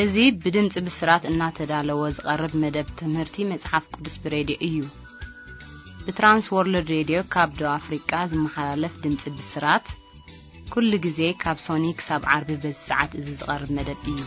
እዚ ብድምጺ ብስራት እናተዳለወ ዝቐርብ መደብ ትምህርቲ መጽሓፍ ቅዱስ ብሬድዮ እዩ። ብትራንስ ወርልድ ሬድዮ ካብ ደቡብ ኣፍሪቃ ዝመሓላለፍ ድምጺ ብስራት፣ ኩሉ ግዜ ካብ ሶኒ ክሳብ ዓርቢ በዚ ሰዓት እዚ ዝቐርብ መደብ እዩ።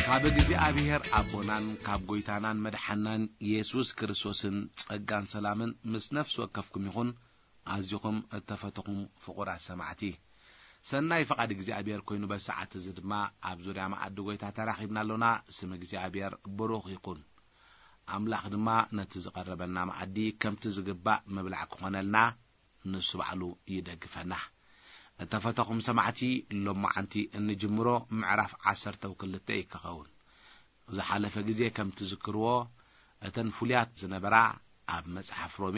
ካብ እግዚኣብሔር ኣቦናን ካብ ጐይታናን መድሓናን የሱስ ክርስቶስን ጸጋን ሰላምን ምስ ነፍሲ ወከፍኩም ይኹን። ኣዚኹም እተፈተኹም ፍቑራት ሰማዕቲ፣ ሰናይ ፍቓድ እግዚኣብሔር ኮይኑ በዚ ሰዓት እዚ ድማ ኣብ ዙርያ መኣዲ ጐይታ ተራኺብና ኣሎና። ስም እግዚኣብሔር ብሩኽ ይኹን። ኣምላኽ ድማ ነቲ ዝቐረበልና መኣዲ ከምቲ ዝግባእ ምብላዕ ክኾነልና ንሱ ባዕሉ ይደግፈና። እተፈተኹም ሰማዕቲ፣ ሎማዓንቲ እንጅምሮ ምዕራፍ ዓሰርተ ክልተ እዩ ክኸውን። ዝሓለፈ ግዜ ከም ትዝክርዎ፣ እተን ፍሉያት ዝነበራ ኣብ መጽሓፍ ሮሜ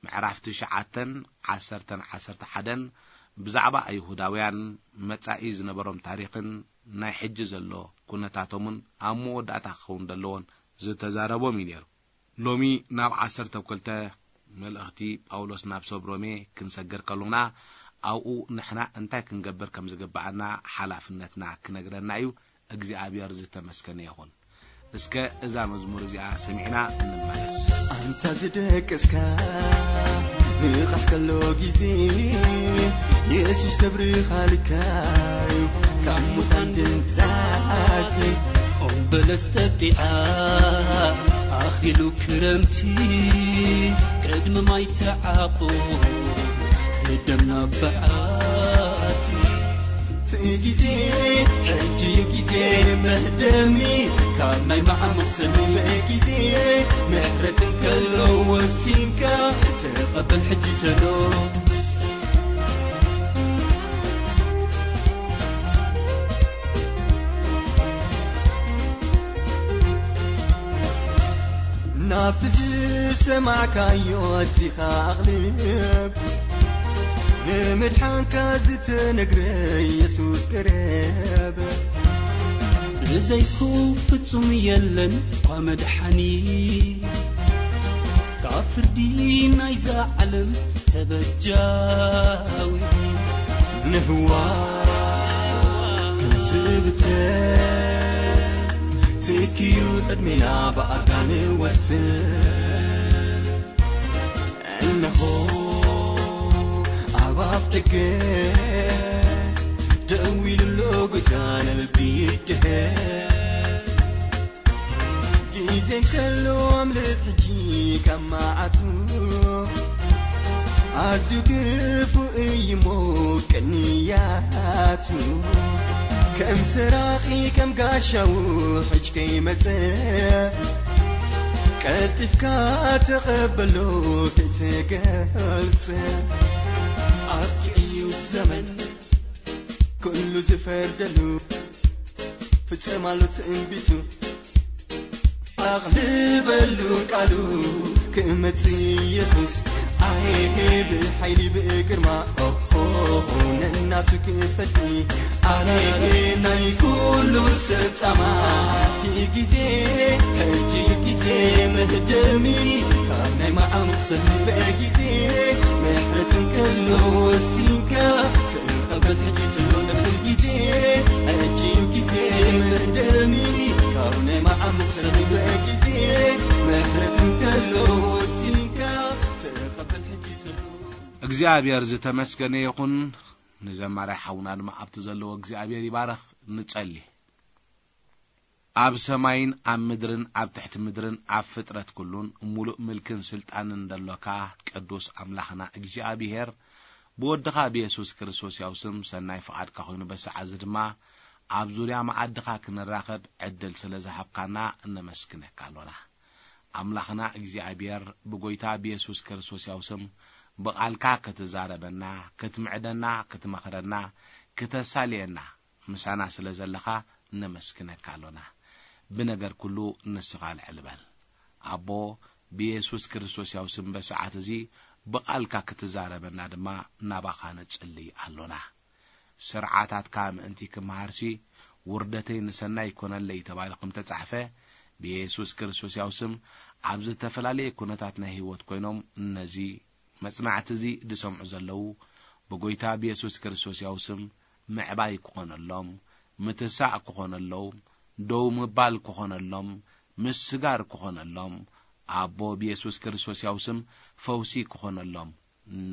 ምዕራፍ ትሽዓተን ዓሰርተን ዓሰርተ ሓደን ብዛዕባ ኣይሁዳውያን መጻኢ ዝነበሮም ታሪኽን ናይ ሕጂ ዘሎ ኩነታቶምን ኣብ መወዳእታ ክኸውን ዘለዎን ዝተዛረቦም እዩ ነይሩ። ሎሚ ናብ ዓሰርተ ክልተ መልእኽቲ ጳውሎስ ናብ ሰብ ሮሜ ክንሰግር ከሎና፣ ኣብኡ ንሕና እንታይ ክንገብር ከም ዝግብኣና ሓላፍነትና ክነግረና እዩ። እግዚኣብሔር ዝተመስገነ ይኹን። እስከ እዛ መዝሙር እዚኣ ሰሚዕና እንመለስ። ኣንታ ዝደቀስካ ንቓሕ ከሎ ግዜ፣ የሱስ ከብርኻልካ እዩ ካብ ሙታን ድንዛዜ። ኦም በለስ ጠጢዓ ኣኺሉ ክረምቲ፣ ቅድሚ ማይ ተዓቑ ደምና በዓቲ። እቲ ግዜ ሕጂ እዩ ግዜ መህደሚ፣ ካብ ናይ መዓሙቕ ሰልበ ግዜ ምሕረት እንከሎ ወሲንካ ተቐበል ሕጂ ተሎ። ናብቲ ዝሰማዕካዮ ኣዚኻ ኣቕልብ፣ ንምድሓንካ ዝተነግረ የሱስ ቅረብ። ብዘይኩ ፍጹም የለን እኳ መድሓኒ፣ ካብ ፍርዲ ናይዛ ዓለም ተበጃዊ። ንህዋ ከም ዝብተን ትኪዩ ዕድሜና ብኣጋ ንወስን። እነሆ ኣብ ኣፍ ደገ ደው ኢሉ ኣሎ ጎይታ ንልቢ ይድህር። ግዜ እንከሎ ኣምልጥ ሕጂ ካብ መዓቱ፣ ኣዝዩ ክፉእ እዩ እሞ ቅንያቱ። ከም ሰራቒ ከም ጋሻ ውሕጅ ከይመጸ፣ ቀልጢፍካ ተቐበሎ ከይትገልጸ። ኣብቂዑ እዩ ዘመን ኩሉ ዝፈርደሉ፣ ፍጸም ኣሎ ትንቢቱ። ኣቕልበሉ ቃሉ ክመጽእ ኢየሱስ፣ ኣየ ብሓይሊ ብግርማ፣ ኦሆ፣ ነናቱ ክፈቲ። ኣየ ናይ ኩሉ ሰጻማ፣ ግዜ፣ ሕጂ ግዜ መህደሚ፣ ካብ ናይ መዓሙቕ ሰልበ ግዜ፣ ምሕረት እንከሎ ወሲንካ፣ ተቐበል ሕጂ ትሎ ነብል ግዜ፣ ሕጂ ግዜ መህደሚ፣ ካብ ናይ መዓሙቕ ሰልበ ግዜ፣ ምሕረት እንከሎ ወሲንካ፣ ተቐበል ሕጂ ትሎ። እግዚኣብሔር ዝተመስገነ ይኹን። ንዘማሪ ሓውና ድማ ኣብቲ ዘለዎ እግዚኣብሔር ይባረኽ። ንጸሊ። ኣብ ሰማይን ኣብ ምድርን ኣብ ትሕቲ ምድርን ኣብ ፍጥረት ኩሉን ሙሉእ ምልክን ስልጣንን ደሎካ ቅዱስ ኣምላኽና እግዚኣብሔር፣ ብወድኻ ብየሱስ ክርስቶስ ያው ስም ሰናይ ፍቓድካ ኮይኑ በሰዓት እዚ ድማ ኣብ ዙርያ መኣድኻ ክንራኸብ ዕድል ስለ ዝሃብካና እነመስግነካ ኣሎና። ኣምላኽና እግዚኣብሔር ብጎይታ ብየሱስ ክርስቶስ ያው ስም ብቓልካ ክትዛረበና፣ ክትምዕደና፣ ክትመኽረና፣ ክተሳልየና፣ ምሳና ስለ ዘለኻ ነመስግነካ ኣሎና። ብነገር ኩሉ ንስኻ ልዕል በል። ኣቦ፣ ብየሱስ ክርስቶስ ያው ስም በሰዓት እዚ ብቓልካ ክትዛረበና ድማ ናባኻ ንጽልይ ኣሎና። ስርዓታትካ ምእንቲ ክመሃርሲ፣ ውርደተይ ንሰናይ ይኮነለይ ተባሂሉ ከም ተጻሕፈ፣ ብየሱስ ክርስቶስ ያው ስም ኣብ ዝተፈላለየ ኩነታት ናይ ህይወት ኮይኖም ነዚ መጽናዕቲ እዚ ዝሰምዑ ዘለዉ ብጎይታ ብየሱስ ክርስቶስ ያው ስም ምዕባይ ክኾነሎም፣ ምትሳእ ክኾነሎም፣ ደው ምባል ክኾነሎም፣ ምስጋር ክኾነሎም፣ ኣቦ ብየሱስ ክርስቶስ ያው ስም ፈውሲ ክኾነሎም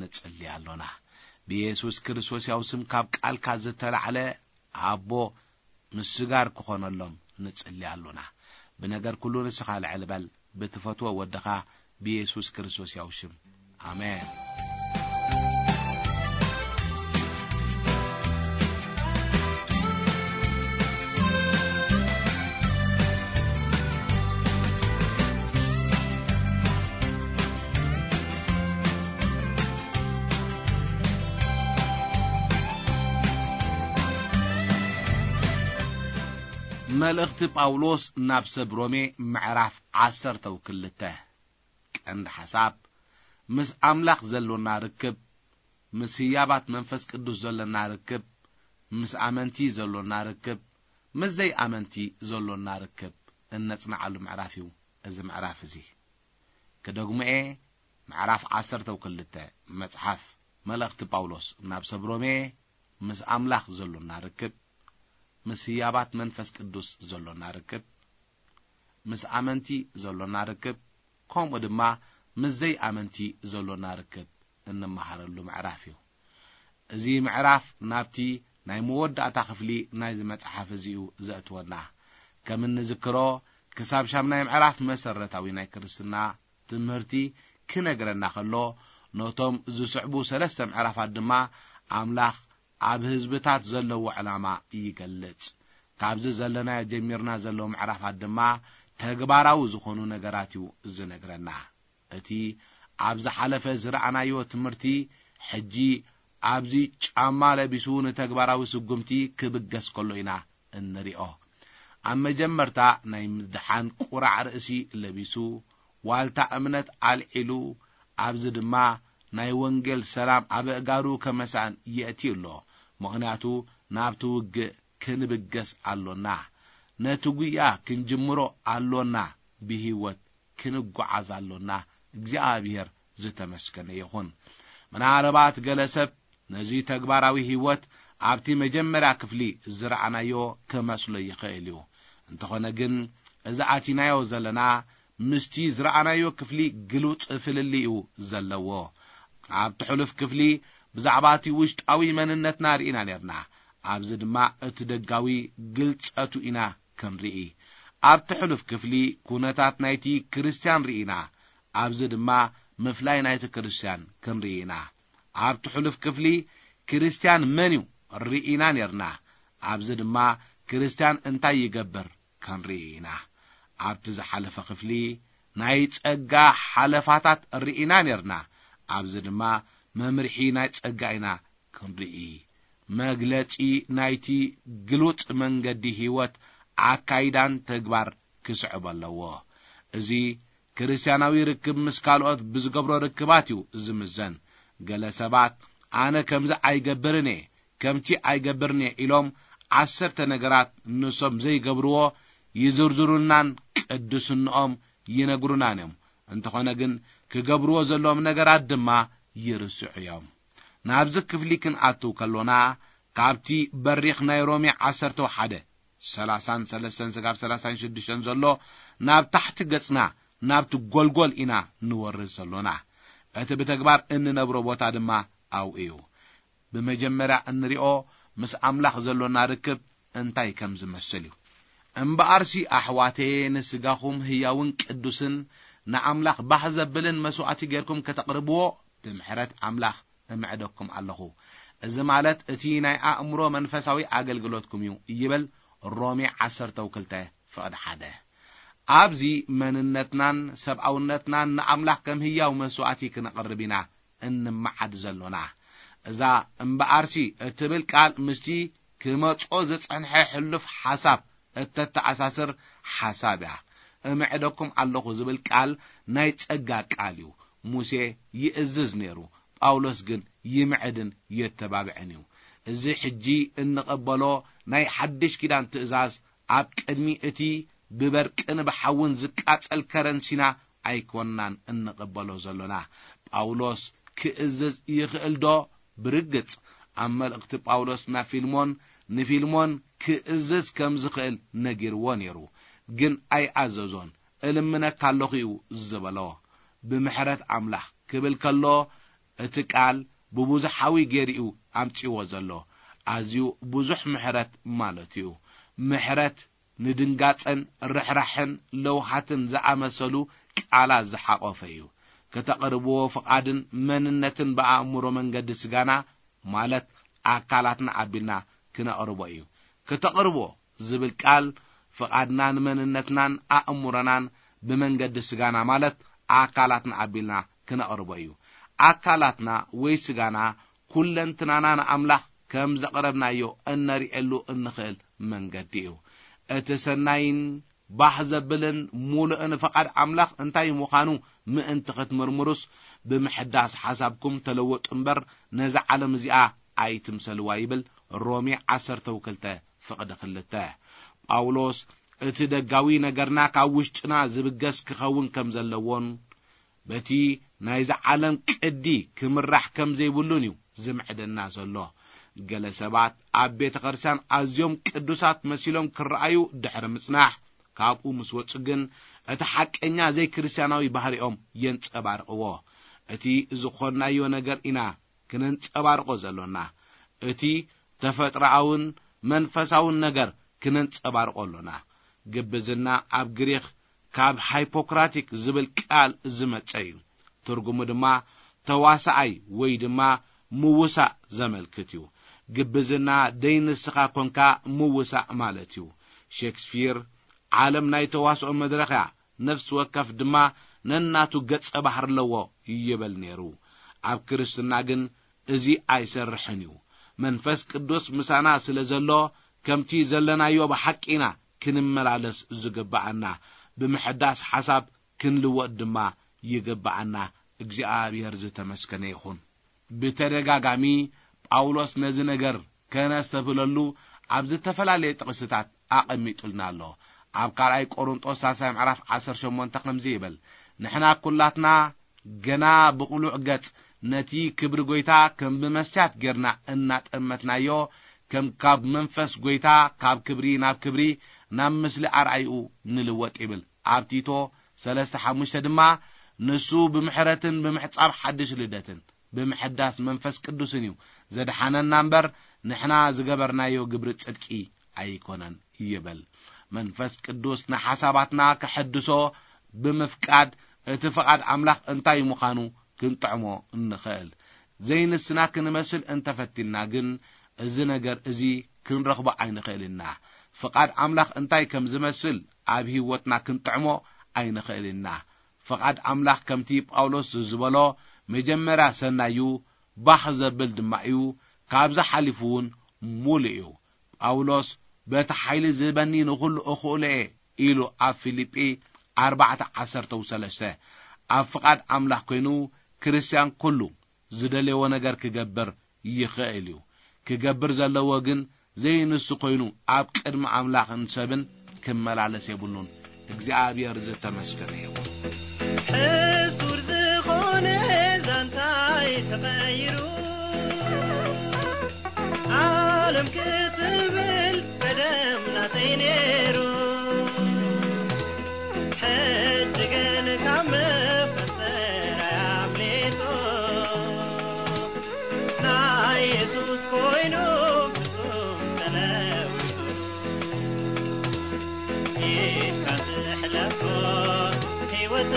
ንጽሊ ኣሎና። ብየሱስ ክርስቶስ ያው ስም ካብ ቃልካ ዝተላዕለ ኣቦ ምስጋር ክኾነሎም ንጽሊ ኣሎና። ብነገር ኩሉ ንስኻ ልዕል በል፣ ብትፈትዎ ወድኻ ብየሱስ ክርስቶስ ያው ሽም። ኣሜን። መልእኽቲ ጳውሎስ ናብ ሰብ ሮሜ ምዕራፍ ዓሰርተ ክልተ። ቀንዲ ሓሳብ፣ ምስ ኣምላኽ ዘሎና ርክብ፣ ምስ ህያባት መንፈስ ቅዱስ ዘሎና ርክብ፣ ምስ ኣመንቲ ዘሎና ርክብ፣ ምስ ዘይኣመንቲ ዘሎና ርክብ እነጽንዓሉ ምዕራፍ እዩ እዚ ምዕራፍ እዚ። ክደግሞ እየ፣ ምዕራፍ ዓሰርተ ክልተ መጽሓፍ መልእኽቲ ጳውሎስ ናብ ሰብ ሮሜ፣ ምስ ኣምላኽ ዘሎና ርክብ፣ ምስ ህያባት መንፈስ ቅዱስ ዘሎና ርክብ፣ ምስ ኣመንቲ ዘሎና ርክብ፣ ከምኡ ድማ ምስ ዘይኣመንቲ ዘሎና ርክብ እንመሃረሉ ምዕራፍ እዩ። እዚ ምዕራፍ ናብቲ ናይ መወዳእታ ክፍሊ ናይዚ መጽሓፍ እዚ እዩ ዘእትወና። ከም እንዝክሮ፣ ክሳብ ሻምናይ ምዕራፍ መሰረታዊ ናይ ክርስትና ትምህርቲ ክነግረና ከሎ፣ ነቶም ዝስዕቡ ሰለስተ ምዕራፋት ድማ ኣምላኽ ኣብ ህዝብታት ዘለዎ ዕላማ ይገልጽ። ካብዚ ዘለናዮ ጀሚርና ዘለዉ ምዕራፋት ድማ ተግባራዊ ዝኾኑ ነገራት እዩ ዝነግረና። እቲ ኣብ ዝሓለፈ ዝረኣናዮ ትምህርቲ፣ ሕጂ ኣብዚ ጫማ ለቢሱ ንተግባራዊ ስጉምቲ ክብገስ ከሎ ኢና እንሪኦ። ኣብ መጀመርታ ናይ ምድሓን ቁራዕ ርእሲ ለቢሱ፣ ዋልታ እምነት ኣልዒሉ፣ ኣብዚ ድማ ናይ ወንጌል ሰላም ኣብ ኣእጋሩ ከመሳን የእትዩ ኣሎ። ምኽንያቱ ናብቲ ውግእ ክንብገስ ኣሎና። ነቲ ጉያ ክንጅምሮ ኣሎና። ብህይወት ክንጓዓዝ ኣሎና። እግዚኣብሔር ዝተመስገነ ይኹን። ምናልባት ገለ ሰብ ነዚ ተግባራዊ ህይወት ኣብቲ መጀመርያ ክፍሊ ዝረኣናዮ ክመስሎ ይኽእል እዩ። እንተኾነ ግን፣ እዚ ኣቲናዮ ዘለና ምስቲ ዝረኣናዮ ክፍሊ ግሉጽ ፍልልይ እዩ ዘለዎ። ኣብቲ ሕሉፍ ክፍሊ ብዛዕባ እቲ ውሽጣዊ መንነትና ርኢና ኔርና። ኣብዚ ድማ እቲ ደጋዊ ግልጸቱ ኢና ክንርኢ። ኣብቲ ሕሉፍ ክፍሊ ኩነታት ናይቲ ክርስትያን ርኢና። ኣብዚ ድማ ምፍላይ ናይቲ ክርስትያን ክንርኢ ኢና። ኣብቲ ሕሉፍ ክፍሊ ክርስትያን መን እዩ ርኢና ኔርና። ኣብዚ ድማ ክርስትያን እንታይ ይገብር ክንርኢ ኢና። ኣብቲ ዝሓለፈ ክፍሊ ናይ ጸጋ ሓለፋታት ርኢና ኔርና። ኣብዚ ድማ መምርሒ ናይ ጸጋ ኢና ክንርኢ። መግለጺ ናይቲ ግሉጽ መንገዲ ህይወት ኣካይዳን ተግባር ክስዕብ ኣለዎ። እዚ ክርስትያናዊ ርክብ ምስ ካልኦት ብዝገብሮ ርክባት እዩ ዝምዘን። ገለ ሰባት፣ "ኣነ ከምዚ ኣይገብርን እየ፣ ከምቲ ኣይገብርን እየ" ኢሎም ዓሰርተ ነገራት ንሶም ዘይገብርዎ ይዝርዝሩልናን ቅድስንኦም ይነግሩናን እዮም። እንተኾነ ግን ክገብርዎ ዘለዎም ነገራት ድማ ይርስዑ እዮም። ናብዚ ክፍሊ ክንኣትው ከሎና ካብቲ በሪኽ ናይ ሮሜ ዓሰርተ ሓደ፣ ሰላሳን ሰለስተን ስጋብ ሰላሳን ሽዱሽተን ዘሎ ናብ ታሕቲ ገጽና ናብቲ ጎልጎል ኢና ንወርድ ዘሎና። እቲ ብተግባር እንነብሮ ቦታ ድማ ኣብኡ እዩ። ብመጀመርያ እንሪኦ ምስ ኣምላኽ ዘሎና ርክብ እንታይ ከም ዝመስል እዩ። እምበኣርሲ ኣሕዋተየ ንስጋኹም ህያውን ቅዱስን ንኣምላኽ ባህ ዘብልን መስዋእቲ ጌርኩም ከተቕርብዎ ብምሕረት ኣምላኽ እምዕደኩም ኣለኹ። እዚ ማለት እቲ ናይ ኣእምሮ መንፈሳዊ ኣገልግሎትኩም እዩ ይብል ሮሜ ዓሰርተ ክልተ ፍቕዲ ሓደ። ኣብዚ መንነትናን ሰብኣውነትናን ንኣምላኽ ከም ህያው መስዋእቲ ክነቕርብ ኢና እንመዓድ ዘሎና። እዛ እምበኣርሲ እትብል ቃል ምስቲ ክመጾ ዝጸንሐ ሕሉፍ ሓሳብ እተተኣሳስር ሓሳብ እያ። እምዕደኩም ኣለኹ ዝብል ቃል ናይ ጸጋ ቃል እዩ። ሙሴ ይእዝዝ ነይሩ፣ ጳውሎስ ግን ይምዕድን የተባብዕን እዩ። እዚ ሕጂ እንቐበሎ ናይ ሓድሽ ኪዳን ትእዛዝ ኣብ ቅድሚ እቲ ብበርቅን ብሓውን ዝቃጸል ከረንሲና ኣይኮንናን እንቕበሎ ዘሎና። ጳውሎስ ክእዝዝ ይኽእል ዶ? ብርግጽ፣ ኣብ መልእኽቲ ጳውሎስ ናብ ፊልሞን፣ ንፊልሞን ክእዝዝ ከም ዝኽእል ነጊርዎ ነይሩ። ግን ኣይኣዘዞን። "እልምነካ ኣለኹ" እዩ ዝበሎ። "ብምሕረት ኣምላኽ" ክብል ከሎ፣ እቲ ቃል ብብዙሓዊ ገይሩ እዩ ኣምጺዎ ዘሎ። ኣዝዩ ብዙሕ ምሕረት ማለት እዩ። ምሕረት ንድንጋጸን ርሕራሕን ለውሃትን ዝኣመሰሉ ቃላት ዝሓቖፈ እዩ። ከተቕርብዎ ፍቓድን መንነትን ብኣእምሮ መንገዲ ስጋና፣ ማለት ኣካላትና ኣቢልና ክነቕርቦ እዩ። ከተቕርቦ ዝብል ቃል ፍቓድናን መንነትናን ኣእምሮናን ብመንገዲ ስጋና፣ ማለት ኣካላትና ኣቢልና ክነቕርቦ እዩ። ኣካላትና ወይ ስጋና ኩለንትናና ንኣምላኽ ከም ዘቕረብናዮ እነርእየሉ እንኽእል መንገዲ እዩ። እቲ ሰናይን ባህ ዘብልን ሙሉእን ፍቓድ ኣምላኽ እንታይ ምዃኑ ምእንቲ ክትምርምሩስ፣ ብምሕዳስ ሓሳብኩም ተለወጡ እምበር፣ ነዛ ዓለም እዚኣ ኣይትምሰልዋ ይብል ሮሜ ዓሰርተ ክልተ ፍቕዲ ክልተ። ጳውሎስ እቲ ደጋዊ ነገርና ካብ ውሽጥና ዝብገስ ክኸውን ከም ዘለዎን፣ በቲ ናይዛ ዓለም ቅዲ ክምራሕ ከም ዘይብሉን እዩ ዝምዕደና ዘሎ። ገለ ሰባት ኣብ ቤተ ክርስቲያን ኣዝዮም ቅዱሳት መሲሎም ክረኣዩ ድሕሪ ምጽናሕ፣ ካብኡ ምስ ወጹ ግን እቲ ሓቀኛ ዘይክርስትያናዊ ባህሪኦም የንጸባርቕዎ። እቲ ዝኾንናዮ ነገር ኢና ክነንጸባርቖ ዘሎና። እቲ ተፈጥሮኣውን መንፈሳውን ነገር ክነንጸባርቖ ኣሎና። ግብዝና ኣብ ግሪኽ ካብ ሃይፖክራቲክ ዝብል ቃል ዝመጸ እዩ። ትርጉሙ ድማ ተዋሳኣይ ወይ ድማ ምውሳእ ዘመልክት እዩ። ግብዝና ደይ ንስኻ ኮንካ ምውሳእ ማለት እዩ። ሼክስፒር ዓለም ናይ ተዋስኦ መድረኽ እያ፣ ነፍሲ ወከፍ ድማ ነናቱ ገጸ ባህሪ ኣለዎ ይብል ነይሩ። ኣብ ክርስትና ግን እዚ ኣይሰርሕን እዩ። መንፈስ ቅዱስ ምሳና ስለ ዘሎ፣ ከምቲ ዘለናዮ ብሓቂ ኢና ክንመላለስ ዝግብኣና። ብምሕዳስ ሓሳብ ክንልወጥ ድማ ይግብኣና። እግዚኣብሔር ዝተመስገነ ይኹን። ብተደጋጋሚ ጳውሎስ ነዚ ነገር ከነስተብህለሉ ኣብ ዝተፈላለየ ጥቕስታት ኣቐሚጡልና ኣሎ። ኣብ ካልኣይ ቆሮንጦስ ሳልሳይ ምዕራፍ ዓሰርተ ሸሞንተ ከምዚ ይብል፣ "ንሕና ኩላትና ገና ብቕሉዕ ገጽ ነቲ ክብሪ ጐይታ ከም ብመስትያት ጌርና እናጠመትናዮ፣ ከም ካብ መንፈስ ጐይታ ካብ ክብሪ ናብ ክብሪ ናብ ምስሊ ኣርኣይኡ ንልወጥ" ይብል። ኣብ ቲቶ ሰለስተ ሓሙሽተ ድማ፣ "ንሱ ብምሕረትን ብምሕጻብ ሓድሽ ልደትን ብምሕዳስ መንፈስ ቅዱስን እዩ ዘድሓነና እምበር፣ ንሕና ዝገበርናዮ ግብሪ ጽድቂ ኣይኮነን" ይብል። መንፈስ ቅዱስ ንሓሳባትና ከሐድሶ ብምፍቃድ፣ እቲ ፍቓድ ኣምላኽ እንታይ ምዃኑ ክንጥዕሞ እንኽእል። ዘይንስና ክንመስል እንተፈቲንና ግን፣ እዚ ነገር እዚ ክንረኽቦ ኣይንኽእል ኢና። ፍቓድ ኣምላኽ እንታይ ከም ዝመስል ኣብ ህይወትና ክንጥዕሞ ኣይንኽእል ኢና። ፍቓድ ኣምላኽ ከምቲ ጳውሎስ ዝበሎ፣ መጀመርያ ሰናይ እዩ፣ ባህ ዘብል ድማ እዩ፣ ካብዚ ሓሊፉ እውን ሙሉእ እዩ። ጳውሎስ፣ "በቲ ሓይሊ ዝህበኒ ንኹሉ እኽእሎ እየ" ኢሉ ኣብ ፊልጲ ኣርባዕተ ዓሰርተ ሰለስተ። ኣብ ፍቓድ ኣምላኽ ኮይኑ ክርስትያን ኩሉ ዝደለዎ ነገር ክገብር ይኽእል እዩ። ክገብር ዘለዎ ግን ዘይንሱ ኮይኑ ኣብ ቅድሚ ኣምላኽን ሰብን ክመላለስ የብሉን። እግዚኣብሔር ዝተመስገነ ይኹን። ሕሱር ዝኾነ ዛንታይ ተቐይሩ፣ ዓለም ክትብል ቀደም ናተይ ነይሩ። ሕጂ ግን ካብ መፈንጠራይ ኣምሊጡ፣ ናይ የሱስ ኮይኑ ፍጹም ተለዊጡ። ኢድካ ትሕለፎ ህይወት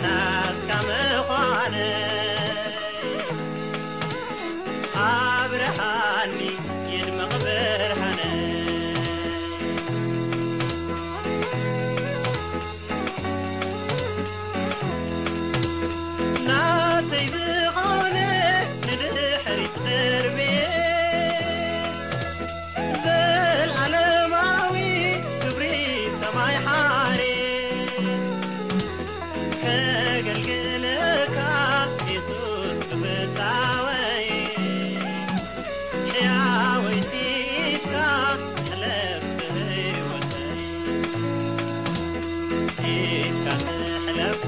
ናትካ ምዃነ ኣብርሃኒ ይድመቕ ብርሃነ። ናተይ ዝኾነ ንድሕሪት ደርብየ፣ ዘልኣለማዊ ክብሪ ሰማይ ሓሬ ከገልግለካ የሱስ ብፍታወይ። ሕያወይቲ ኢድካ ትሕለፍ ብህይወተይ። ኢድካ ትሕለፎ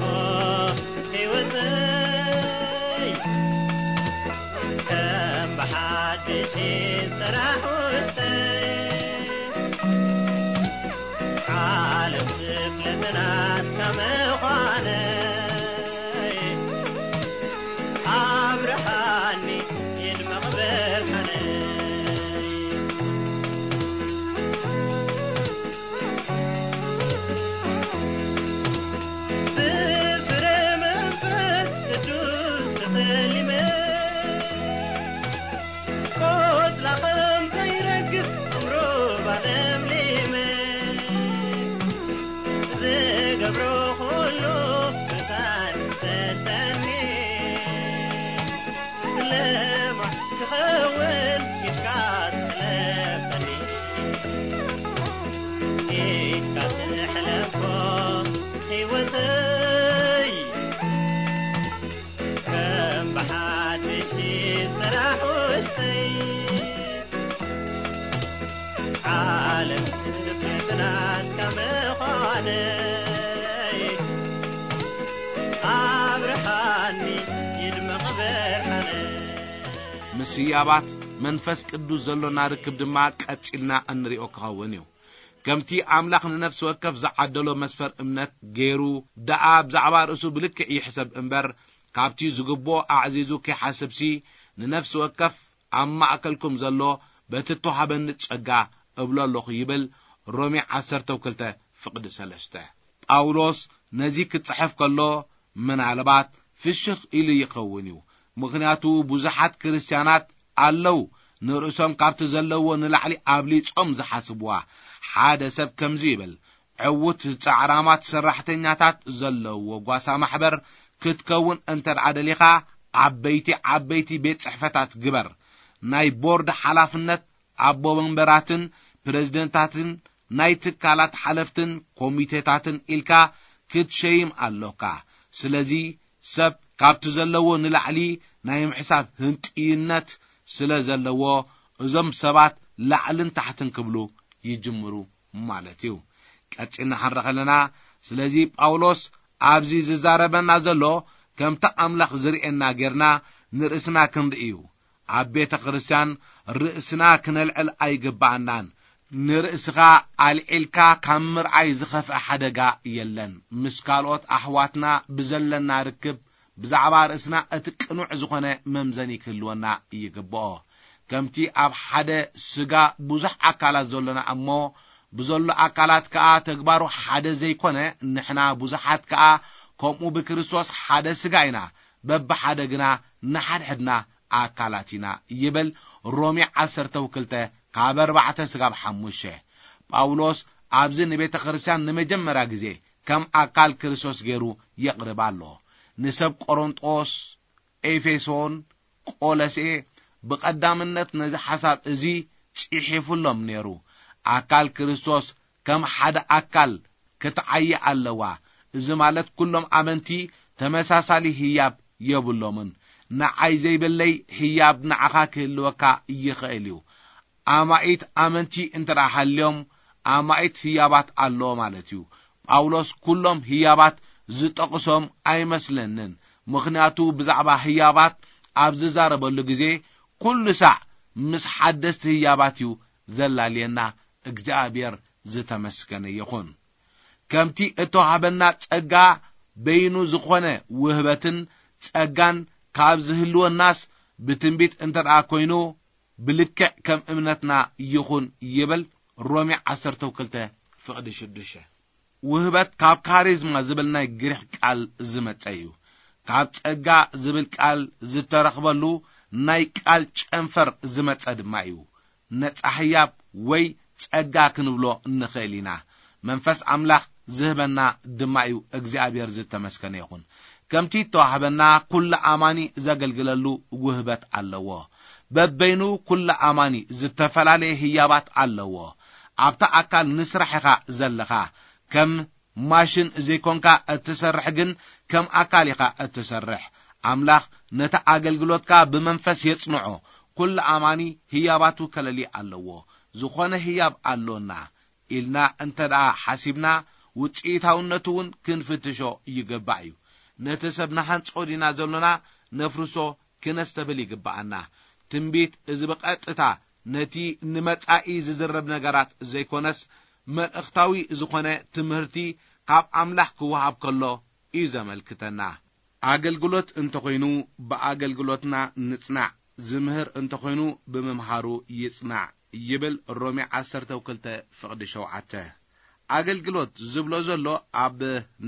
ህይወተይ። ከም ብሓድሽ ይሰራሕ ውሽጠይ። ዓለም ትፍለጥ ናትካ ምዃነይ። ኣብርሃኒ ይድመቕ ብርሃነይ። ብፍረ መንፈስ ቅዱስ ተሰሊመ፣ ቆጽላ ከም ዘይረግፍ ዕምሩባ ለምሊመ፣ ዝገብሮ ኩሉ መታን ይሰልጠኒ። ለማዕ ክኸውን ኢድካ ትሕለፈኒ፣ ኢድካ ትሕለፎ ህይወተይ። ከም ብሓድሽ ስራሕ ውሽጠይ፣ ዓለም ትፍለጥ ናትካ ምዃነይ። ኣብርሃኒ ይድመቕ ብርሃነይ። ምስ ህያባት መንፈስ ቅዱስ ዘሎና ርክብ ድማ ቀጺልና እንሪኦ ክኸውን እዩ። ከምቲ ኣምላኽ ንነፍሲ ወከፍ ዝዓደሎ መስፈር እምነት ገይሩ ደኣ ብዛዕባ ርእሱ ብልክዕ ይሕሰብ እምበር፣ ካብቲ ዝግብኦ ኣዕዚዙ ከይሓስብሲ፣ ንነፍሲ ወከፍ ኣብ ማእከልኩም ዘሎ በቲ እተዋህበኒ ጸጋ እብሎ ኣለኹ ይብል ሮሜ ዓሰርተ ክልተ ፍቕዲ ሰለስተ። ጳውሎስ ነዚ ክጽሕፍ ከሎ ምናልባት ፍሽኽ ኢሉ ይኸውን እዩ። ምኽንያቱ ብዙሓት ክርስትያናት ኣለዉ ንርእሶም ካብቲ ዘለዎ ንላዕሊ ኣብሊጾም ዝሓስብዋ። ሓደ ሰብ ከምዚ ይብል፣ ዕዉት ጻዕራማት ሰራሕተኛታት ዘለዎ ጓሳ ማሕበር ክትከውን እንተ ደኣ ደሊኻ፣ ዓበይቲ ዓበይቲ ቤት ጽሕፈታት ግበር። ናይ ቦርድ ሓላፍነት ኣቦ መንበራትን ፕረዚደንታትን ናይ ትካላት ሓለፍትን ኮሚቴታትን ኢልካ ክትሸይም ኣሎካ። ስለዚ ሰብ ካብቲ ዘለዎ ንላዕሊ ናይ ምሕሳብ ህንጥይነት ስለ ዘለዎ፣ እዞም ሰባት ላዕልን ታሕትን ክብሉ ይጅምሩ ማለት እዩ። ቀጺልና ክንርኢ ከለና፣ ስለዚ ጳውሎስ ኣብዚ ዝዛረበና ዘሎ፣ ከምቲ ኣምላኽ ዝርእየና ጌርና ንርእስና ክንርኢ እዩ። ኣብ ቤተ ክርስትያን ርእስና ክነልዕል ኣይግባኣናን። ንርእስኻ ኣልዒልካ ካብ ምርኣይ ዝኸፍአ ሓደጋ የለን። ምስ ካልኦት ኣሕዋትና ብዘለና ርክብ ብዛዕባ ርእስና እቲ ቅኑዕ ዝኾነ መምዘኒ ክህልወና ይግብኦ። ከምቲ ኣብ ሓደ ስጋ ብዙሕ ኣካላት ዘሎና እሞ፣ ብዘሎ ኣካላት ከኣ ተግባሩ ሓደ ዘይኮነ፣ ንሕና ብዙሓት ከኣ ከምኡ ብክርስቶስ ሓደ ስጋ ኢና፣ በብሓደ ግና ንሓድሕድና ኣካላት ኢና ይብል ሮሜ ዓሰርተ ክልተ ካብ ኣርባዕተ ስጋብ ሓሙሽተ። ጳውሎስ ኣብዚ ንቤተ ክርስቲያን ንመጀመርያ ግዜ ከም ኣካል ክርስቶስ ገይሩ የቕርብ ኣሎ። ንሰብ ቆሮንጦስ፣ ኤፌሶን፣ ቆለሴ ብቐዳምነት ነዚ ሓሳብ እዚ ጽሒፉሎም ነይሩ። ኣካል ክርስቶስ ከም ሓደ ኣካል ክትዓዪ ኣለዋ። እዚ ማለት ኩሎም ኣመንቲ ተመሳሳሊ ህያብ የብሎምን። ንዓይ ዘይብለይ ህያብ ንዓኻ ክህልወካ ይኽእል እዩ። ኣማኢት ኣመንቲ እንተ ደኣ ሃልዮም፣ ኣማኢት ህያባት ኣለዎ ማለት እዩ። ጳውሎስ ኩሎም ህያባት ዝጠቕሶም ኣይመስለንን። ምኽንያቱ ብዛዕባ ህያባት ኣብ ዝዛረበሉ ግዜ፣ ኩሉ ሳዕ ምስ ሓደስቲ ህያባት እዩ ዘላልየና። እግዚኣብሔር ዝተመስገነ ይኹን። ከምቲ እተዋህበና ጸጋ በይኑ ዝኾነ ውህበትን ጸጋን ካብ ዝህልወናስ፣ ብትንቢት እንተ ደኣ ኮይኑ፣ ብልክዕ ከም እምነትና ይኹን ይብል ሮሜ ዓሰርተ ክልተ ፍቕዲ ሽዱሽተ። ውህበት ካብ ካሪዝማ ዝብል ናይ ግሪኽ ቃል ዝመጸ እዩ። ካብ ጸጋ ዝብል ቃል ዝተረኽበሉ ናይ ቃል ጨንፈር ዝመጸ ድማ እዩ። ነጻ ህያብ ወይ ጸጋ ክንብሎ እንኽእል ኢና። መንፈስ ኣምላኽ ዝህበና ድማ እዩ። እግዚኣብሔር ዝተመስገነ ይኹን። ከምቲ እተዋህበና ኩሉ ኣማኒ ዘገልግለሉ ውህበት ኣለዎ። በበይኑ ኩሉ ኣማኒ ዝተፈላለየ ህያባት ኣለዎ። ኣብታ ኣካል ንስራሕ ኢኻ ዘለኻ። ከም ማሽን ዘይኮንካ እትሰርሕ፣ ግን ከም ኣካል ኢኻ እትሰርሕ። ኣምላኽ ነቲ ኣገልግሎትካ ብመንፈስ የጽንዖ። ኩሉ ኣማኒ ህያባቱ ከለሊ ኣለዎ። ዝኾነ ህያብ ኣሎና ኢልና እንተ ደኣ ሓሲብና፣ ውጽኢታውነቱ እውን ክንፍትሾ ይግባእ እዩ። ነቲ ሰብ ንሓንጾ ዲና ዘሎና ነፍርሶ ክነስተብል ይግብኣና። ትንቢት እዚ ብቐጥታ ነቲ ንመጻኢ ዝዝረብ ነገራት ዘይኮነስ፣ መልእኽታዊ ዝኾነ ትምህርቲ ካብ ኣምላኽ ክወሃብ ከሎ እዩ ዘመልክተና። ኣገልግሎት እንተኾይኑ፣ ብኣገልግሎትና ንጽናዕ፣ ዝምህር እንተኾይኑ፣ ብምምሃሩ ይጽናዕ ይብል ሮሜ ዓሰርተ ክልተ ፍቕዲ ሸውዓተ። ኣገልግሎት ዝብሎ ዘሎ ኣብ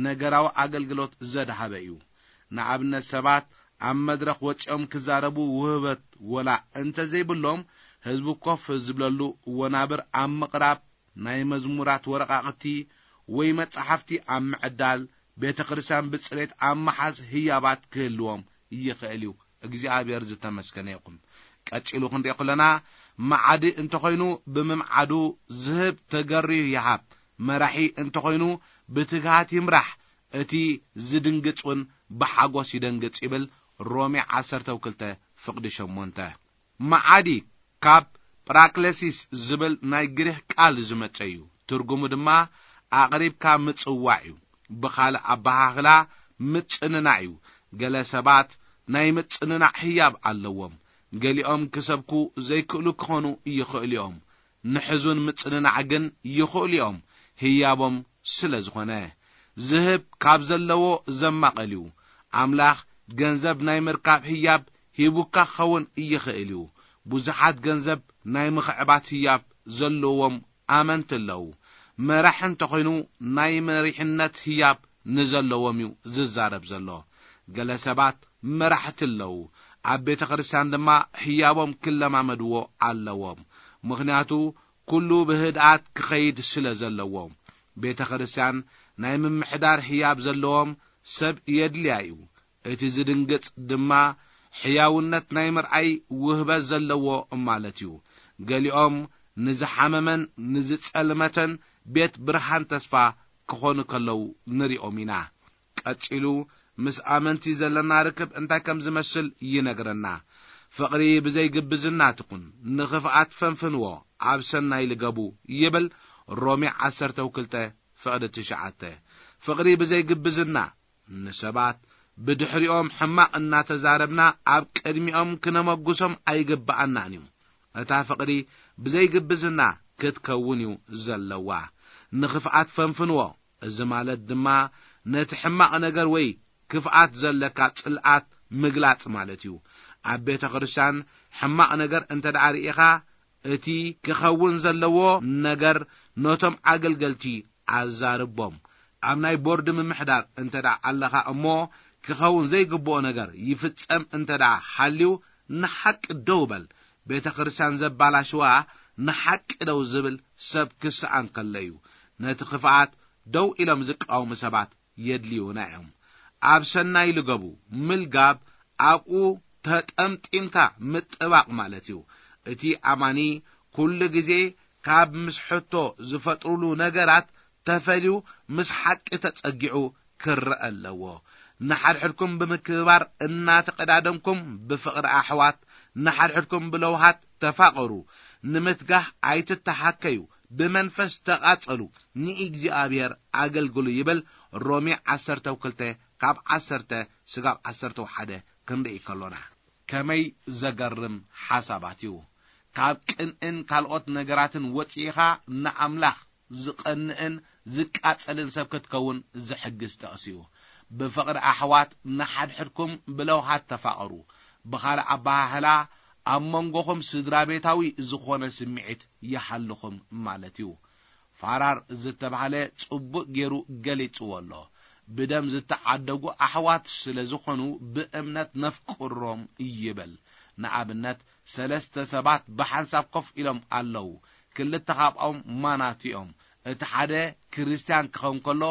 ነገራዊ ኣገልግሎት ዘድሃበ እዩ። ንኣብነት፣ ሰባት ኣብ መድረኽ ወጺኦም ክዛረቡ ውህበት ወላ እንተ ዘይብሎም፣ ህዝቢ ኮፍ ዝብለሉ ወናብር ኣብ ምቕራብ፣ ናይ መዝሙራት ወረቓቕቲ ወይ መጻሕፍቲ ኣብ ምዕዳል፣ ቤተ ክርስቲያን ብጽሬት ኣብ ምሓዝ ህያባት ክህልዎም ይኽእል እዩ። እግዚኣብሔር ዝተመስገነ ይኹን። ቀጺሉ ክንሪኦ ከለና፣ መዓዲ እንተኾይኑ ብምምዓዱ ዝህብ ተገርዩ ይሃብ፣ መራሒ እንተኾይኑ ብትግሃት ይምራሕ፣ እቲ ዝድንግጽ እውን ብሓጎስ ይደንግጽ ይብል ሮሜ ዓሰርተ ክልተ ፍቕዲ ሸሞንተ። መዓዲ ካብ ጳራክለሲስ ዝብል ናይ ግሪኽ ቃል ዝመጸ እዩ። ትርጉሙ ድማ ኣቕሪብካ ምጽዋዕ እዩ። ብኻልእ ኣበሃህላ ምጽንናዕ እዩ። ገለ ሰባት ናይ ምጽንናዕ ህያብ ኣለዎም። ገሊኦም ክሰብኩ ዘይክእሉ ክኾኑ ይኽእሉ እዮም። ንሕዙን ምጽንናዕ ግን ይኽእሉ እዮም፣ ህያቦም ስለ ዝኾነ። ዝህብ ካብ ዘለዎ ዘማቐል እዩ። ኣምላኽ ገንዘብ ናይ ምርካብ ህያብ ሂቡካ ክኸውን ይኽእል እዩ። ብዙሓት ገንዘብ ናይ ምኽዕባት ህያብ ዘለዎም ኣመንቲ ኣለዉ። መራሕ እንተኾይኑ ናይ መሪሕነት ህያብ ንዘለዎም እዩ ዝዛረብ ዘሎ። ገለ ሰባት መራሕቲ ኣለዉ። ኣብ ቤተ ክርስቲያን ድማ ህያቦም ክለማመድዎ ኣለዎም። ምኽንያቱ ኩሉ ብህድኣት ክኸይድ ስለ ዘለዎ። ቤተ ክርስቲያን ናይ ምምሕዳር ህያብ ዘለዎም ሰብ የድልያ እዩ። እቲ ዝድንግጽ ድማ ሕያውነት ናይ ምርኣይ ውህበት ዘለዎ ማለት እዩ። ገሊኦም ንዝሓመመን ንዝጸልመተን ቤት ብርሃን ተስፋ ክኾኑ ከለዉ ንሪኦም ኢና። ቀጺሉ ምስ ኣመንቲ ዘለና ርክብ እንታይ ከም ዝመስል ይነግረና። ፍቕሪ ብዘይ ግብዝና ትኹን፣ ንኽፍኣት ፈንፍንዎ፣ ኣብ ሰናይ ልገቡ ይብል ሮሜ ዓሰርተ ክልተ ፍቕዲ ትሽዓተ። ፍቕሪ ብዘይ ግብዝና ንሰባት ብድሕሪኦም ሕማቕ እናተዛረብና ኣብ ቅድሚኦም ክነመጉሶም ኣይግብኣናን እዩ። እታ ፍቕሪ ብዘይ ግብዝና ክትከውን እዩ ዘለዋ። ንኽፍኣት ፈንፍንዎ። እዚ ማለት ድማ ነቲ ሕማቕ ነገር ወይ ክፍኣት ዘለካ ጽልኣት ምግላጽ ማለት እዩ። ኣብ ቤተ ክርስቲያን ሕማቕ ነገር እንተ ደኣ ርኢኻ፣ እቲ ክኸውን ዘለዎ ነገር ነቶም ኣገልገልቲ ኣዛርቦም። ኣብ ናይ ቦርድ ምምሕዳር እንተ ደኣ ኣለኻ እሞ፣ ክኸውን ዘይግብኦ ነገር ይፍጸም እንተ ደኣ ሃልዩ፣ ንሓቂ ደው በል። ቤተ ክርስቲያን ዘባላሽዋ ንሓቂ ደው ዝብል ሰብ ክስኣን ከሎ እዩ። ነቲ ክፍኣት ደው ኢሎም ዝቃወሙ ሰባት የድልዩና እዮም። ኣብ ሰናይ ልገቡ፣ ምልጋብ ኣብኡ ተጠምጢምካ ምጥባቕ ማለት እዩ። እቲ ኣማኒ ኩሉ ግዜ ካብ ምስ ሕቶ ዝፈጥሩሉ ነገራት ተፈልዩ ምስ ሓቂ ተጸጊዑ ክረአ ኣለዎ። ንሓድሕድኩም ብምክብባር እናተቐዳደምኩም ብፍቕሪ ኣሕዋት ንሓድሕድኩም ብለውሃት ተፋቐሩ። ንምትጋህ ኣይትተሓከዩ፣ ብመንፈስ ተቓጸሉ፣ ንእግዚኣብሔር ኣገልግሉ ይብል። ሮሜ ዓሰርተ ክልተ ካብ ዓሰርተ ስጋብ ዓሰርተ ሓደ ክንርኢ ከሎና። ከመይ ዘገርም ሓሳባት እዩ! ካብ ቅንእን ካልኦት ነገራትን ወጺእኻ ንኣምላኽ ዝቐንእን ዝቃጸልን ሰብ ክትከውን ዝሕግዝ ጥቕሲ እዩ። ብፍቕሪ ኣሕዋት ንሓድሕድኩም ብለውሃት ተፋቐሩ። ብኻልእ ኣበሃህላ፣ ኣብ መንጎኹም ስድራ ቤታዊ ዝኾነ ስምዒት ይሃልኹም ማለት እዩ። ፋራር ዝተባህለ ጽቡቕ ገይሩ ገሊጽዎ ኣሎ። ብደም ዝተዓደጉ ኣሕዋት ስለ ዝኾኑ ብእምነት ነፍቅሮም ይብል። ንኣብነት ሰለስተ ሰባት ብሓንሳብ ኮፍ ኢሎም ኣለዉ። ክልተ ካብኦም ማናቱ እዮም። እቲ ሓደ ክርስትያን ክኸውን ከሎ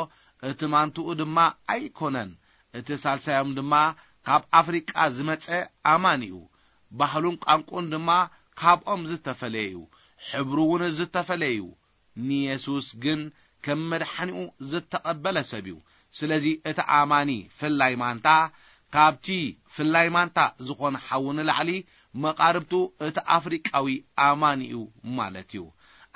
እቲ ማንትኡ ድማ ኣይኮነን። እቲ ሳልሳዮም ድማ ካብ ኣፍሪቃ ዝመጸ ኣማን እዩ። ባህሉን ቋንቁን ድማ ካብኦም ዝተፈለየ እዩ። ሕብሩ እውን ዝተፈለየ እዩ። ንየሱስ ግን ከም መድሓኒኡ ዝተቐበለ ሰብ እዩ። ስለዚ እቲ ኣማኒ ፍላይ ማንታ ካብቲ ፍላይ ማንታ ዝኾነ ሓዉ ንላዕሊ መቓርብቱ እቲ ኣፍሪቃዊ ኣማኒ እዩ ማለት እዩ።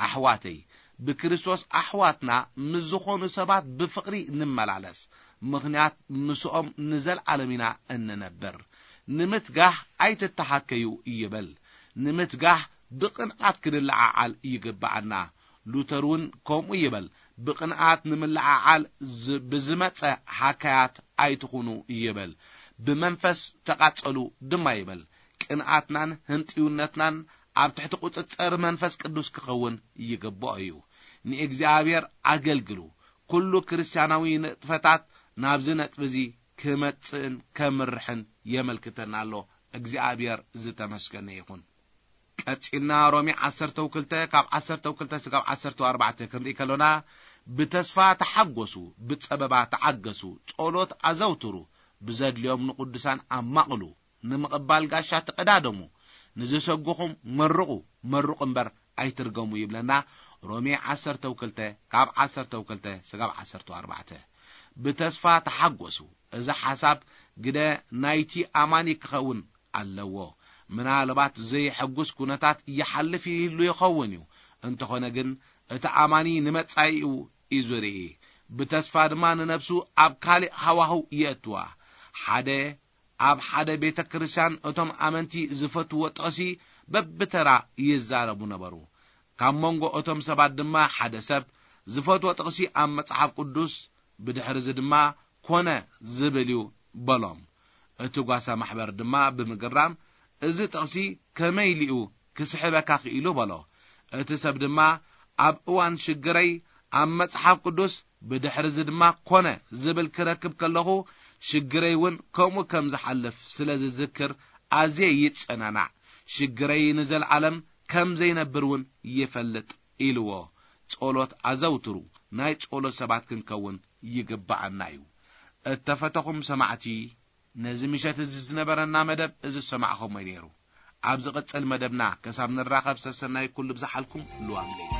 ኣሕዋተይ፣ ብክርስቶስ ኣሕዋትና ምስ ዝኾኑ ሰባት ብፍቕሪ ንመላለስ። ምኽንያት ምስኦም ንዘለዓለም ኢና እንነብር። ንምትጋህ ኣይትተሃከዩ ይብል። ንምትጋህ ብቕንዓት ክንለዓዓል ይግብኣና። ሉተር እውን ከምኡ ይብል። ብቕንኣት ንምልዓዓል ዝ-፣ ብዝመጸ ሃካያት ኣይትኹኑ ይብል። ብመንፈስ ተቓጸሉ ድማ ይብል። ቅንኣትናን ህንጥዩነትናን ኣብ ትሕቲ ቁጽጽር መንፈስ ቅዱስ ክኸውን ይግብኦ እዩ። ንእግዚኣብሔር ኣገልግሉ። ኩሉ ክርስትያናዊ ንጥፈታት ናብዚ ነጥቢ እዚ ክመጽእን ከምርሕን የመልክተና ኣሎ። እግዚኣብሔር ዝተመስገነ ይኹን። ቀጺልና ሮሜ ዓሰርተ ክልተ ካብ ዓሰርተ ክልተ ስጋብ ዓሰርተ ኣርባዕተ ክንርኢ ከሎና፣ ብተስፋ ተሓጎሱ፣ ብጸበባ ተዓገሱ፣ ጸሎት ኣዘውትሩ፣ ብዘድልዮም ንቅዱሳን ኣማቕሉ፣ ንምቕባል ጋሻ ተቐዳደሙ፣ ንዝሰጉኹም መርቑ፣ መርቑ እምበር ኣይትርገሙ ይብለና። ሮሜ ዓሰርተ ክልተ ካብ ዓሰርተ ክልተ ስጋብ ዓሰርተ ኣርባዕተ። ብተስፋ ተሓጎሱ። እዚ ሓሳብ ግደ ናይቲ ኣማኒ ክኸውን ኣለዎ። ምናልባት ዘየሐጉስ ኩነታት ይሓልፍ ይህሉ ይኸውን እዩ። እንተኾነ ግን እቲ ኣማኒ ንመጻኢኡ እዩ ዝርኢ። ብተስፋ ድማ ንነብሱ ኣብ ካልእ ሃዋህው የእትዋ። ሓደ ኣብ ሓደ ቤተ ክርስቲያን እቶም ኣመንቲ ዝፈትዎ ጥቕሲ በብተራ ይዛረቡ ነበሩ። ካብ መንጎ እቶም ሰባት ድማ ሓደ ሰብ ዝፈትዎ ጥቕሲ ኣብ መጽሓፍ ቅዱስ፣ ብድሕሪ እዚ ድማ ኮነ ዝብል እዩ በሎም። እቲ ጓሳ ማሕበር ድማ ብምግራም፣ "እዚ ጥቕሲ ከመይ ኢሉ እዩ ክስሕበካ ክኢሉ?" በሎ። እቲ ሰብ ድማ፣ "ኣብ እዋን ሽግረይ ኣብ መጽሓፍ ቅዱስ፣ ብድሕሪ እዚ ድማ ኮነ ዝብል ክረክብ ከለኹ፣ ሽግረይ እውን ከምኡ ከም ዝሓልፍ ስለ ዝዝክር ኣዝየ ይጸናናዕ። ሽግረይ ንዘለዓለም ከም ዘይነብር እውን ይፈልጥ" ኢልዎ። ጸሎት ኣዘውትሩ። ናይ ጸሎት ሰባት ክንከውን ይግብኣና እዩ። እተፈተኹም ሰማዕቲ፣ ነዚ ምሸት እዚ ዝነበረና መደብ እዚ ዝሰማዕኹሞ እዩ ነይሩ። ኣብ ዝቕጽል መደብና ክሳብ ንራኸብ ሰሰናይ ኩሉ ብዝሓልኩም ልዋም ለይቲ።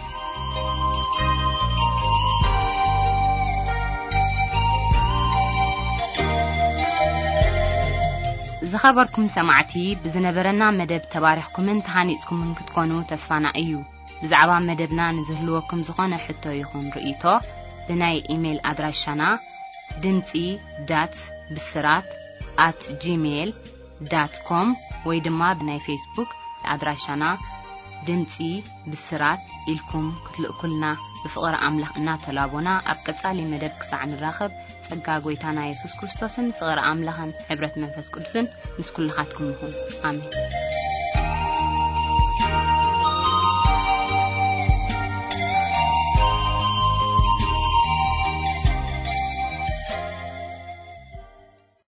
ዝኸበርኩም ሰማዕቲ፣ ብዝነበረና መደብ ተባሪኽኩምን ተሃኒጽኩምን ክትኮኑ ተስፋና እዩ። ብዛዕባ መደብና ንዝህልወኩም ዝኾነ ሕቶ ይኹን ርእይቶ፣ ብናይ ኢሜይል ኣድራሻና ድምጺ ዳት ብስራት ኣት ጂሜይል ዳት ኮም ወይ ድማ ብናይ ፌስቡክ ኣድራሻና ድምጺ ብስራት ኢልኩም ክትልእኩልና ብፍቕሪ ኣምላኽ እናተላቦና፣ ኣብ ቀጻሊ መደብ ክሳዕ ንራኸብ፣ ጸጋ ጐይታና የሱስ ክርስቶስን ፍቕሪ ኣምላኽን ሕብረት መንፈስ ቅዱስን ምስ ኩልኻትኩም ይኹን። ኣሜን።